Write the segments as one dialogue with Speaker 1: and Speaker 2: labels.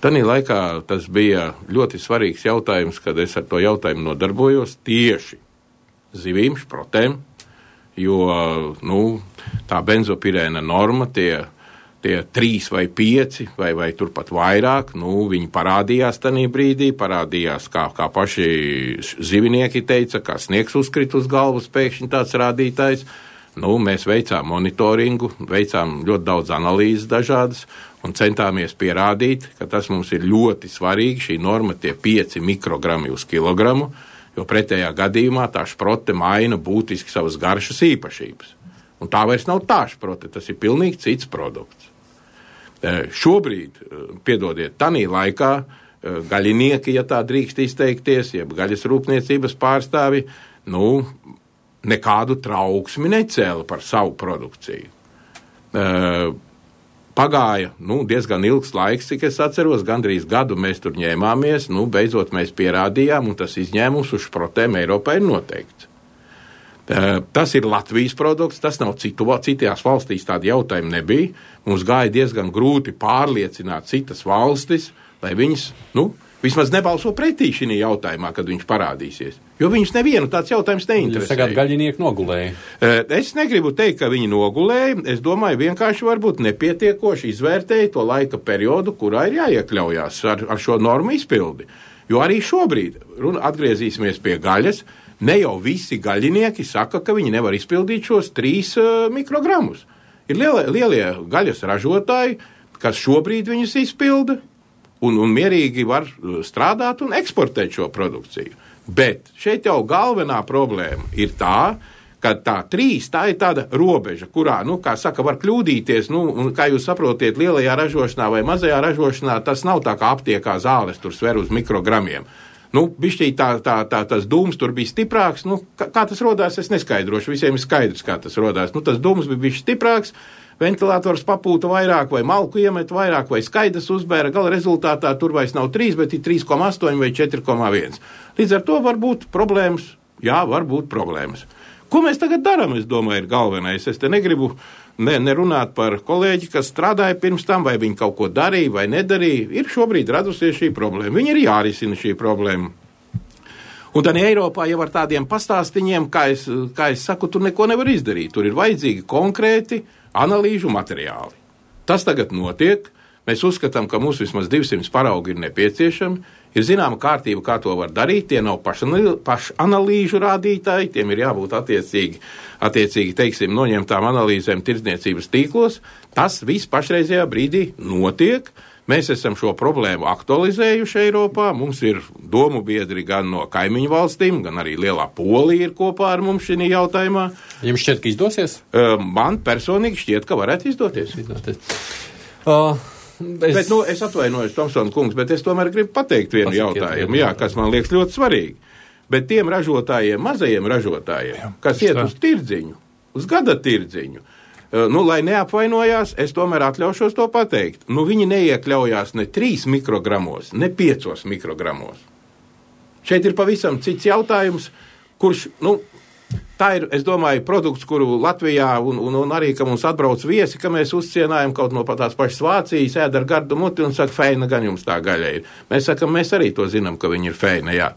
Speaker 1: Tanī laikā tas bija ļoti svarīgs jautājums, kad es ar to jautājumu nodarbojos tieši zivīm, šprotēm, jo tā benzopirēna norma, tie 3 vai 5 vai turpat vairāk, viņi parādījās tanī brīdī, parādījās, kā paši zivinieki teica, kā sniegs uzkrit uz galvas pēkšņi tāds rādītājs. Mēs veicām monitoringu, veicām ļoti daudz analīzes dažādas un centāmies pierādīt, ka tas mums ir ļoti svarīgi, šī norma tie 5 mikrogrami uz kilogramu, jo pretējā gadījumā tā šprote maina būtiski savas garšas īpašības. Un tā vairs nav tā šprote, tas ir pilnīgi cits produkts. Šobrīd, piedodiet, tanī laikā gaļinieki, ja tā drīkst izteikties, jeb gaļas rūpniecības pārstāvi, nekādu trauksmi necēla par savu produkciju. Pagāja diezgan ilgs laiks, cik es atceros, gandrīz gadu mēs tur ņēmāmies, beidzot mēs pierādījām, un tas izņēmums uz šprotēm Eiropā ir noteikts. Tas ir Latvijas produkts, tas nav citās valstīs tādi jautājumi nebija. Mums gāja diezgan grūti pārliecināt citas valstis, lai viņas, vismaz nebalso pretī šī jautājumā, kad viņš parādīsies. Jo viņus nevienu tāds jautājums neinteresē.
Speaker 2: Jūs sagāt, gaļinieki nogulēja?
Speaker 1: Es negribu teikt, ka viņi nogulēja. Es domāju, vienkārši varbūt nepietiekoši izvērtēja to laika periodu, kurā ir jāiekļaujās ar šo normu izpildi. Jo arī šobrīd, atgriezīsimies pie gaļas, ne jau visi gaļinieki saka, ka viņi nevar izpildīt šos 3 mikrogramus. Ir lielie gaļas ražotāji, kas šobrīd viņus izpilda un mierīgi var strādāt un eksportēt šo produkciju. Bet šeit jau galvenā problēma ir tā, ka tā 3, tā ir tāda robeža, kurā, kā saka, var kļūdīties, un kā jūs saprotiet, lielajā ražošanā vai mazajā ražošanā, tas nav tā kā aptiekā zāles tur sver uz mikrogramiem. Bišķī tas dūms tur bija stiprāks, kā tas rodās, es neskaidrošu, visiem ir skaidrs, kā tas rodās. Tas dūms bija bišķi stiprāks, ventilators papūta vairāk, vai malku iemet vairāk, vai skaidrs uzbēra, gala rezultātā tur vairs nav 3, bet ir 3,8 vai 4,1. Līdz ar to var būt problēmas, var būt problēmas. Ko mēs tagad darām, es domāju, ir galvenais. Es te negribu nerunāt par kolēģi, kas strādāja pirms tam, vai viņi kaut ko darīja vai nedarīja. Ir šobrīd radusies šī problēma. Viņi ir jārisina šī problēma. Un tad Eiropā jau ar tādiem pastāstiņiem, kā es saku, tur neko nevar izdarīt. Tur ir vajadzīgi konkrēti analīžu materiāli. Tas tagad notiek. Mēs uzskatām, ka mums vismaz 200 paraugi ir nepieciešami. Ir zināma kārtība, kā to var darīt. Tie nav pašanalīžu rādītāji, tiem ir jābūt attiecīgi, teiksim, noņemtām analīzēm tirdzniecības tīklos. Tas viss pašreizajā brīdī notiek. Mēs esam šo problēmu aktualizējuši Eiropā. Mums ir domu biedri gan no kaimiņu valstīm, gan arī lielā Polija ir kopā ar mums šī jautājumā.
Speaker 2: Jums šķiet, ka izdosies?
Speaker 1: Man personīgi šķiet, ka varētu izdoties. Bet, es atvainojos, Tomsona kungs, bet es tomēr gribu pateikt vienu jautājumu, kas man liekas ļoti svarīgi. Bet tiem ražotājiem, mazajiem ražotājiem, kas iet uz tirdziņu, uz gada tirdziņu, lai neapvainojās, es tomēr atļaušos to pateikt. Viņi neiekļaujās ne 3 mikrogramos, ne 5 mikrogramos. Šeit ir pavisam cits jautājums, kurš, tā ir, es domāju, produkts, kuru Latvijā un arī, ka mums atbrauc viesi, ka mēs uzcienājam kaut no tās pašas Vācijas, ēd ar gardu muti un saka, feina gan jums tā gaļa ir. Mēs sakam, mēs arī to zinām, ka viņi ir feina, jā.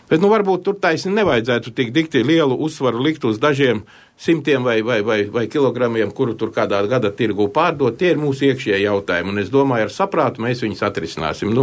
Speaker 1: Bet, varbūt tur taisni nevajadzētu tik dikti lielu uzsvaru likt uz dažiem simtiem vai kilogramiem, kuru tur kādā gada tirgu pārdot. Tie ir mūsu iekšējie jautājumi, un es domāju, ar saprātu mēs viņus atrisināsim.